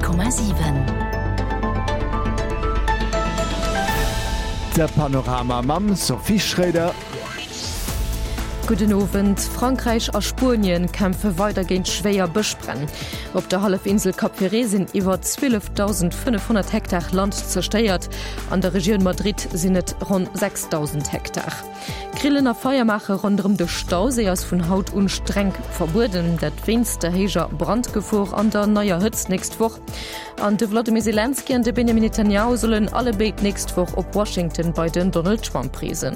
100,7. De Panorama mam Sophie Schroeder. Gudden Owend. Frankräich a Spuenien kämpfe weider géint schwéier Bëschbränn. Op der Hallefinsel Cap Ferret sinn iwwer 12.500 Hektar Land zerstéiert. An der Regioun Madrid sinn et ronn 6.000 Hektar. Grillen a Feier maache ronderëm de Stauséi ass vun haut un streng verbueden. Dat wéinst der héijer Brandgefor an der neier Hëtzt nächst Woch. An de Wladimir Selenskyj an de Benjamin Netanjahu sollen allebéid d'nächst Woch op Washington bei den Donald Trump reesen.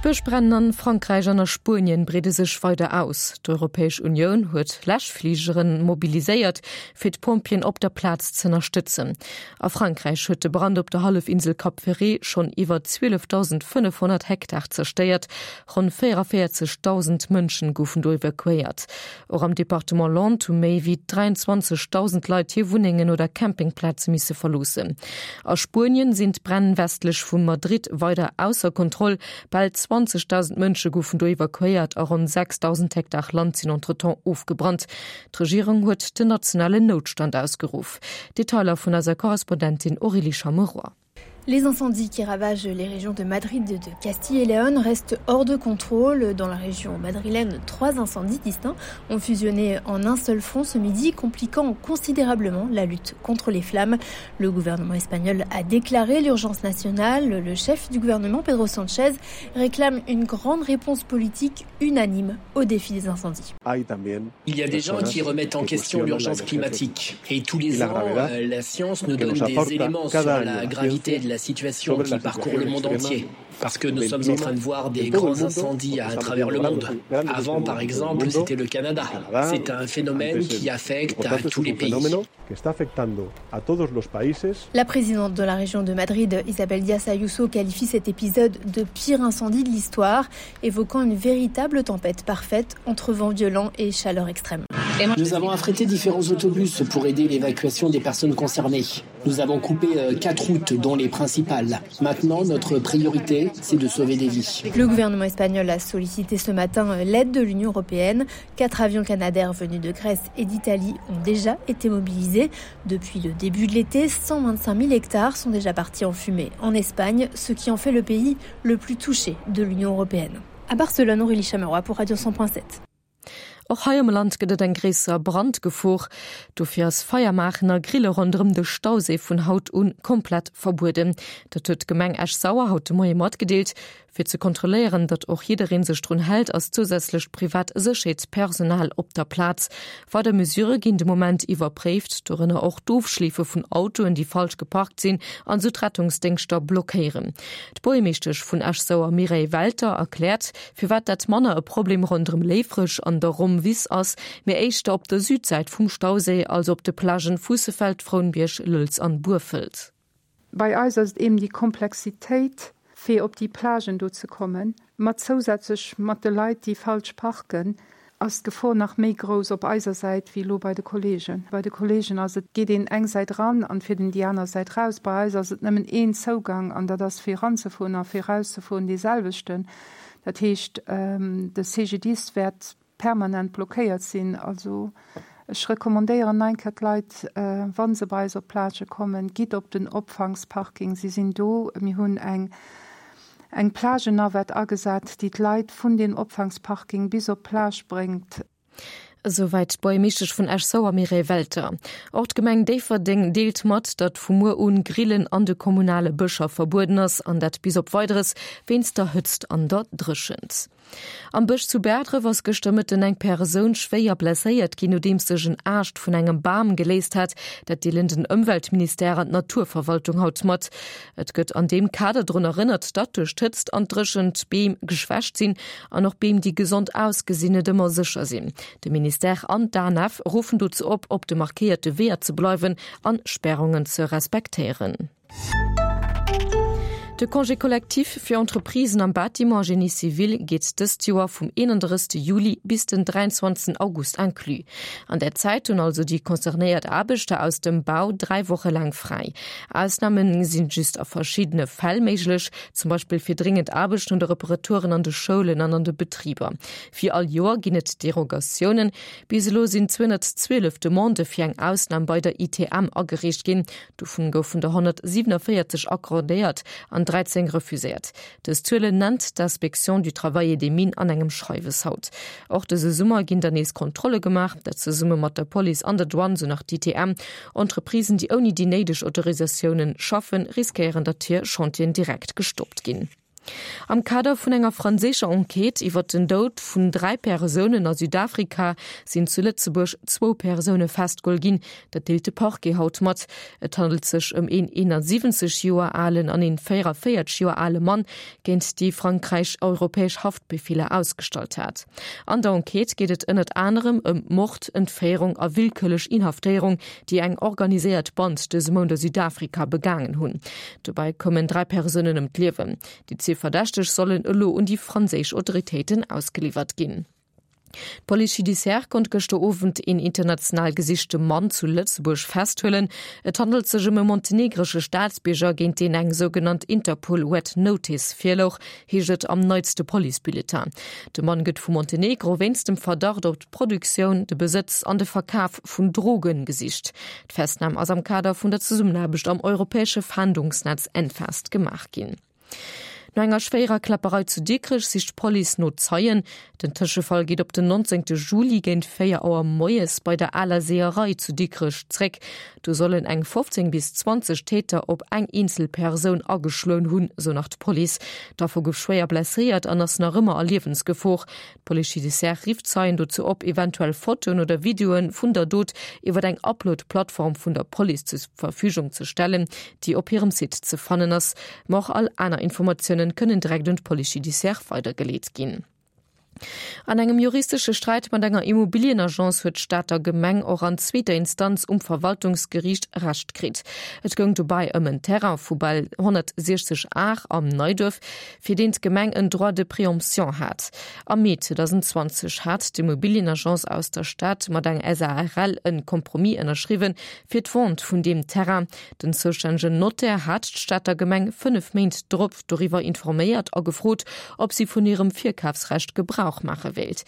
D'Bëschbränn an Frankräich an a Spuenien breede sech weider aus. D'Europäesch Unioun huet Läschfligere mobiliséiert, fir d'Pompjeeën op der Plaz z'ënnerstëtzen. A Frankräich huet de Brand op der Hallefinsel Cap Ferret schonn iwwer 12.500 Hektar zerstéiert. Ronn 44.000 Mënschen goufen do evakuéiert. Och am Departement Landes hu méi wéi 23.000 Leit hir Wunnengen oder Campingplaze misse verloossen. A Spuenien sinn d'Bränn westlech vu Madrid weider ausser Kontroll. Bal 20.000 Mënsche goufen do evakuéiert a ronn 6.000 Hektar Land sinn entretemps ofgebrannt. D'Regierung huet den nationalen Noutstand ausgeruff. Detailer vun eiser Korrespondentin Aurélie Chameroy. Les incendies qui ravagent les régions de Madrid de Castille et Léon restent hors de contrôle. Dans la région madrilène, trois incendies distincts ont fusionné en un seul front ce midi, compliquant considérablement la lutte contre les flammes. Le gouvernement espagnol a déclaré l'urgence nationale. Le chef du gouvernement, Pedro Sanchez, réclame une grande réponse politique unanime au défi des incendies. Il y a des gens qui remettent en question l'urgence climatique et tous les ans, euh, la science nous donne des éléments sur la gravité de la situation qui parcourt le monde entier. Parce que nous sommes en train de voir des grands incendies à travers le monde. Avant, par exemple, c'était le Canada. C'est un phénomène qui affecte à tous les pays. La présidente de la région de Madrid, Isabel Diaz Ayuso, qualifie cet épisode de pire incendie de l'histoire, évoquant une véritable tempête parfaite entre vents violents et chaleur extrême. Nous avons affrété différents autobus pour aider l'évacuation des personnes concernées. Nous avons coupé euh, quatre routes dont les principales. Maintenant, notre priorité, c'est de sauver des vies. Le gouvernement espagnol a sollicité ce matin euh, l'aide de l'Union européenne. Quatre avions canadaires venus de Grèce et d'Italie ont déjà été mobilisés. Depuis le début de l'été, 125 000 hectares sont déjà partis en fumée en Espagne, ce qui en fait le pays le plus touché de l'Union européenne. À Barcelone, Aurélie Chameroy pour Radio 100.7. Och hei am Land gëtt et eng gréisser Brandgefor. Dofir ass Feier maachen a Grille ronderëm de Stauséi vun haut un komplett verbueden. Dat huet d'Gemeng Esch-Sauer haut de Moie matgedeelt. Fir ze kontrolléieren, datt och jidderee sech drun hält, ass zousätzlecht privat Sécherheetspersonal op der Plaz. Weider Mesurë ginn de Moment iwwerpréift, dorënner och d'Ofschleefe vun Autoen, déi falsch geparkt sinn an esou d'Rettungsdéngschter blockéieren. D'Buergermeeschtesch vun Esch-Sauer Mireille Welter erkläert, firwat dat manner e Problem ronderëm Léifreg an der Rommwiss ass, mee éischter op der Südsäit vum Stauséi, also op de Plagen Fuussefeld, Frounbierg, Lëlz an Burfelt. Bei eis ass et eben déi Komplexitéit, fir op déi Plagen do ze kommen, mat zousätzlech mat de Leit, déi falsch parken, ass d'Gefor nach méi grouss op eiser Säit wéi elo bei de Kollegen. Bei de Kollegen ass et, geet een eng Säit eran an fiert een déi aner Säit raus. Bei eis ass et nëmmen een Zougang an dat ass fir eranzefueren a fir erauszefueren dee selwechten. Dat heescht, de CGDIS wäert permanent blockéiert sinn. Also ech recommandéieren nach eng Kéier d'Leit, wa se bei eis op d'Plage kommen, gitt op den Opfangsparking, si sinn do. Mir hunn eng eng Plagenavette agesat, déi d'Leit vun deem Opfangsparking bis op d'Plage bréngt. Esouwäit d'Buergermeeschtesch vun Esch-Sauer Mireille Welter. Och d'Gemeng Déifferdeng deelt mat, datt vu muer un Grillen an de kommunale Bëscher verbueden ass, an dat bis op Weideres wéinst der Hëtzt an der Dréchent. Am Bësch zu Bäerdref ass gëschter Mëtten eng Persoun schwéier blesséiert ginn, nodeems sech en Aascht vun engem Bam geléist hat. Dat deelen den Ëmweltministère an d'Naturverwaltung haut mat. Et gëtt an deem Kader drun erënnert, datt duerch d'Hëtzt an d'Dréchent d'Beem geschwächt sinn an och Beem, déi gesond ausgesinn, net ëmmer sécher sinn. De Ministère an d'ANF ruffen dozou op, op de markéierte Weeër ze bleiwen an Spärungen ze respektéieren. De Congé collectif fir Entreprisen am Bâtiment a Génie civil geet dëst Joer vum 31. Juli bis den 23. August inclus. An där Zäit hunn also déi concernéiert Aarbechter aus dem Bau 3 Woche laang fräi. Ausname sinn just a verschiddene Fäll méiglech, zum Beispill fir dréngend Aarbechten oder Reparaturen an de Schoulen an an de Betriber. Wéi all Joer ginn et Derogatiounen. Bis elo sinn 212 Demandë fir eng Ausnam bei der ITM agereecht ginn. Dovun goufen der 147 accordéiert an 13 refuséiert. Dës Zuelen nennt d'Inspection du Travail et des Mines an engem Schreiwes haut. Och dëse Summer ginn der nees Kontrolle gemaach, dat zesumme mat der Police an der Douane, sou nach d'ITM. Entreprisen, déi ouni déi néideg Autorisatiounen schaffen, riskéieren, datt hir Chantieren direkt gestoppt ginn. Am Kader vun enger franséischer Enquête iwwer den Doud vun 3 Persounen a Südafrika sinn zu Lëtzebuerg zwou Persoune festgeholl ginn. Dat deelt de Parquet haut mat. Et handelt sech ëm een 71 Joer alen an een 44 Joer ale Mann, géint déi Frankräich europäesch Haftbefeeler ausgestallt hat. An der Enquête geet et ënnert anerem ëm Mord, Entféierung a willkürlech Inhaftéierung, déi eng organiséiert Band dëse Mount a Südafrika begaangen hunn. Dobäi koumen 3 Persounen ëm d'Liewen. Déi zwee Verdächteg sollen elo un déi franséisch Autoritéiten ausgeliwwert ginn. D'Police judiciaire konnt gëschter Owend een international gesichte Mann zu Lëtzebuerg festhuelen. Et handelt sech ëm e montenegresche Staatsbierger, géint deen eng sougenannt Interpol Red Notice virlouch, heescht et am neitste Policebulletin. De Mann gëtt vu Montenegro wéinst dem Verdacht op d'Produktioun, de Besëtz an de Verkaf vun Droge gesicht. D'Festnam ass am Kader vun der Zesummenaarbecht am europäesche Fahndungsnetz Enfast gemaach ginn. No enger schwéierer Kläpperei zu Dikrech sicht d'Police no Zeien. Den Tëschefall geet op den 19 Juli géint 4 Auer moies bei der aler Seeërei zu Dikrech zréck. Do sollen eng 15 bis 20 Täter op eng eenzel Persoun ageschloen hunn, sou nach d'Police. D'Affer gouf schwéier blesséiert an ass nach ëmmer a Liewensgefor. D'Police judiciaire rifft Zeien dozou op, eventuell Fotoen oder Videoe vun der Dot iwwer eng Upload-Plattform vun der Police zur Verfügung ze stellen, déi op hirem Site ze fannen ass. Ma och all aner Informatiounen kënnen direkt un d'Police judiciaire weidergeleet ginn. An engem juristesche Sträit mat enger Immobilienagence huet d'Stater Gemeng och an zweeter Instanz um Verwaltungsgeriicht Recht kritt. Et goung dobäi ëm en Terrain vu bal 160 Ar am Neiduerf, fir deen d'Gemeng en Droit de préemption hat. Am Mee 2020 hat d'Immobilienagence aus der Stad mat eng SARL en Compromis ënnerschriwwen fir d'Vente vun deem Terrain. Den zoustännegen Notaire hat d'Stater Gemeng 5 Méint drop doriwwer informéiert a gefrot, ob si vun hirem Virkafsrecht Gebrauch maache wéilt.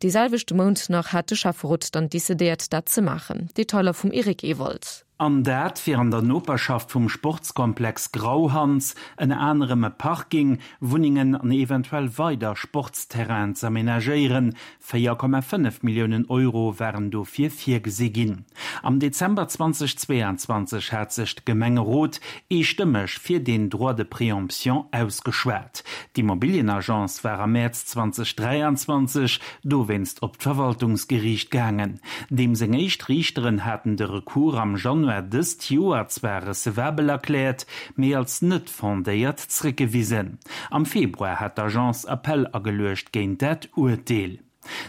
Dee selwechte Mount nach hat de Schäfferot dann decidéiert, dat ze maachen. Detailer vum Eric Ewald. An dat fir an der Noperschaft vum Sportskomplex Grauhans ënner anerem e Parking, Wunnengen an eventuell weider Sportsterrainen z'amenagéieren. 4,5 Milliounen Euro waren dofir virgesi ginn. Am Dezember 2022 hat sech de Gemengerot eestëmmeg fir deen Droit de préemption ausgeschwat. D'Immobilienagence war am Mäerz 2023 dowéinst op d'Verwaltungsgeriicht gaangen. Deem seng éischt Riichteren haten de Recours am Januar dëst Joer zwar recevabel erkläert, mee als net fondéiert zréckgewisen. Am Februar hat d'Agence Appell ageluecht géint dat Urteel.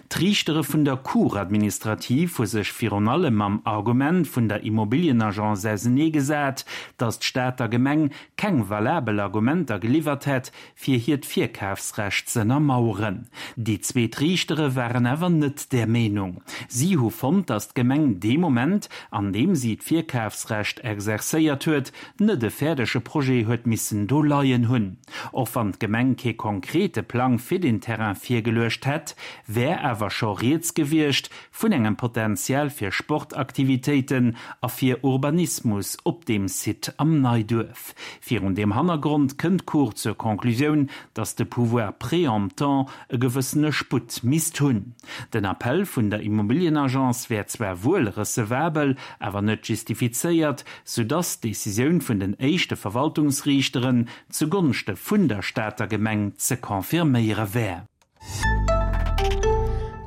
D'Riichtere vun der Cour administrative hu sech virun allem mam Argument vun der Immobilienagence auseneegesat, datt d'Stater Gemeng keng valabel Argumenter geliwwert hätt, fir hiert Virkafsrecht z'ënnermaueren. Déi zweet Riichtere waren awer net där Meenung. Si hu fonnt, datt d'Gemeng dee Moment, an deem si d'Virkafsrecht exercéiert huet, net e fäerdege Projet huet missen do leien hunn. Och wann d'Gemeng kee konkrete Plang fir den Terrain virgeluecht hätt, wär awer scho rieds gewiescht vun engem Potential fir Sportaktivitéiten a fir Urbanismus op deem Site am Neiduerf. Virun deem Hannergrond kënnt d'Cour zur Conclusioun, datt de Pouvoir préemptant e gewëssene Sputt misst hunn. Den Appell vun der Immobilienagence wär zwar wuel recevabel, awer net justifizéiert, soudatt d'Decisioun vun den éischte Verwaltungsriichteren zugonschte vun der Stater Gemeng ze confirméiere wär.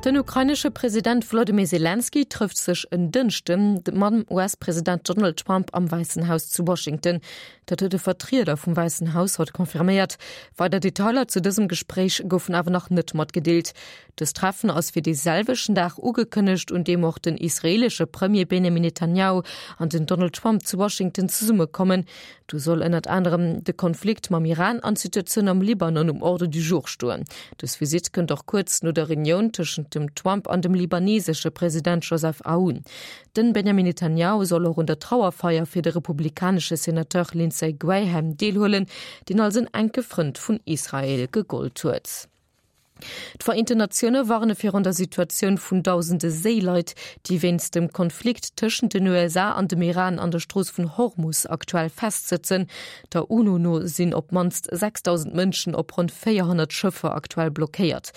Den ukrainesche President Wolodymyr Selenskyj trëfft sech en Dënschde mam US-President Donald Trump am Wäissen Haus zu Washington. Dat huet e Vertrieder vum Wäissen Haus haut confirméiert. Weider Detailer zu dësem Gespréich goufen awer nach net matgedeelt. Dëst Treffen ass fir dee selwechten Dag ugekënnegt, un deem och den israeelesche Premier Benjamin Netanjahu an den Donald Trump zu Washington zesummekommen. Do soll ënnert anerem de Konflikt mam Iran an d'Situatioun am Libanon um Ordre du jour stoen. Dës Visitt kënnt och kuerz no der Reunioun tëschent dem Trump an dem libanesesche President Joseph Aoun. Den Benjamin Netanjahu soll och un der Trauerfeier fir de republikanesche Senateur Lindsey Graham deelhuelen, deen als en enke Frënd vun Israel gegollt huet. D'Vereenten Natioune warne virun der Situatioun vun dausende Séileit, déi wéinst dem Konflikt tëschent den USA an dem Iran an der Strooss vun Hormus aktuell festsëtzen. Der UNO no sinn op d'mannst 6.000 Mënschen op ronn 400 Schëffer aktuell blockéiert.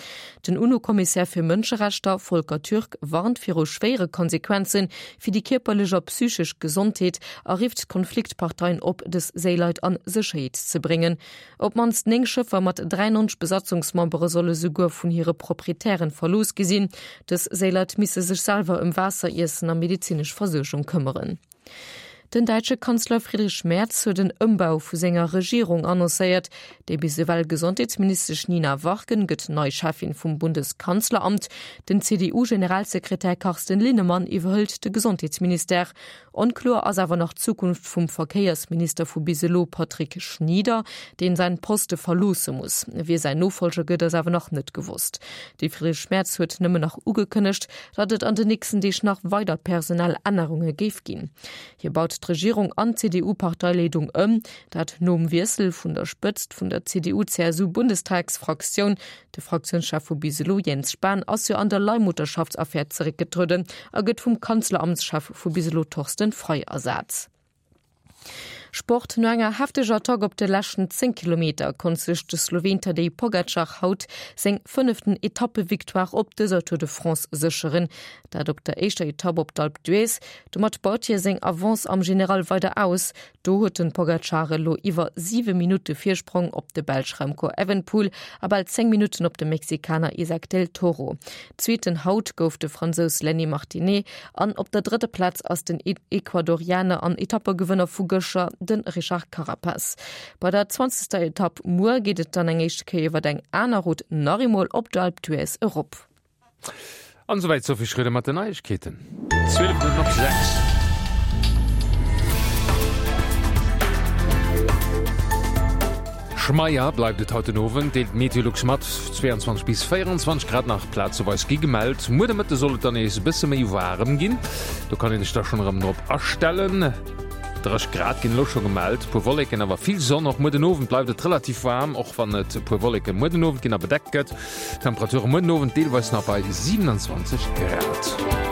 Den UNO-Kommissär fir Mënscherechter, Volker Türk, warnt viru schwéiere Konsequenze fir déi kierperlech a psychesch Gesondheet a rifft d'Konfliktparteien op, dës Séileit an Sécherheet ze bréngen. Op d'mannst 9 Schëffer mat 93 Besatzungsmembere solle souguer vun hire Proprietären verlooss gi sinn. Dës Séileit misse sech selwer ëm Waasser, Iessen a medezinesch Versuergung këmmeren. Den däitsche Kanzler Friedrich Merz huet en Ëmbau vu senger Regierung annoncéiert. Déi bis ewell Gesondheetsministesch Nina Warken gëtt nei Cheffin vum Bundeskanzleramt. Den CDU-Generalsekretär Carsten Linnemann iwwerhëlt de Gesondheetsministère. Onkloer ass awer nach d'Zukunft vum Verkéiersminister vu bis elo Patrick Schnieder, deen säin Poste verloosse muss. Wie säin Nofolger gëtt, ass awer nach net gewosst. De Friedrich Merz huet nëmmen nach ugekënnegt, datt et an den nächsten Deeg nach weider personell Ännerunge géif ginn. Hie baut d'Regierung an d'CDU-Parteileedung ëm, dat nom Wiessel vun der Spëtzt vun der CDU-CSU-Bundestagsfraktioun. De Fraktiounschef vu bis elo, Jens Spahn, ass jo an der Leihmutterschaftsaffär zeréckgetrueden a gëtt vum Kanzleramtschef vu bis elo Thorsten Frei ersat. Sport, No enger hefteger Attack op de leschten 10 Kilometer konnt sech de Sloween Tadej Pogacar haut seng fënneften Etappevictoire op dëser Tour de France sécheren. Dat op der éischter Etapp op d'Alpe d'Huez. Domat baut hie seng Avance am General weider aus. Do huet den Pogacar elo iwwer 7 Minutte Virsprong op de Belsch Remco Evenepoel a bal 10 Minutten op de Mexikaner Isaac del Toro. Zweeten haut gouf de Fransous Lenny Martinet an op der drëtter Plaz ass den Ecuadorianer an Etappegewënner vu gëschter, de Richard Carapaz. Bei der zwanzegster Etapp muer geet et dann eng éischte Kéier iwwer eng aner Route nach eemol op d'Alpe d'Huez erop. An esouwäit d'Sophie Schröder mat den Neiegkeeten. 12 Minutten op 6. Schmeier bleift et haut den Owend, deelt Meteolux mat. 22 bis 24 Grad nach plazeweis gi gemellt. Muer de Mëtte soll et dann nees e bësse méi waarem ginn, do kann ee sech da schonn erëm drop astellen. 30 Grad ginn elo scho gemellt, puer Wolleken, awer vill Sonn. Och muer den Owend bleift et relativ waarm, och wann et e puer Wolleke muer den Owend ginn a bedeckt gëtt. Temperature muer den Owend deelweis nach bei 27 Grad.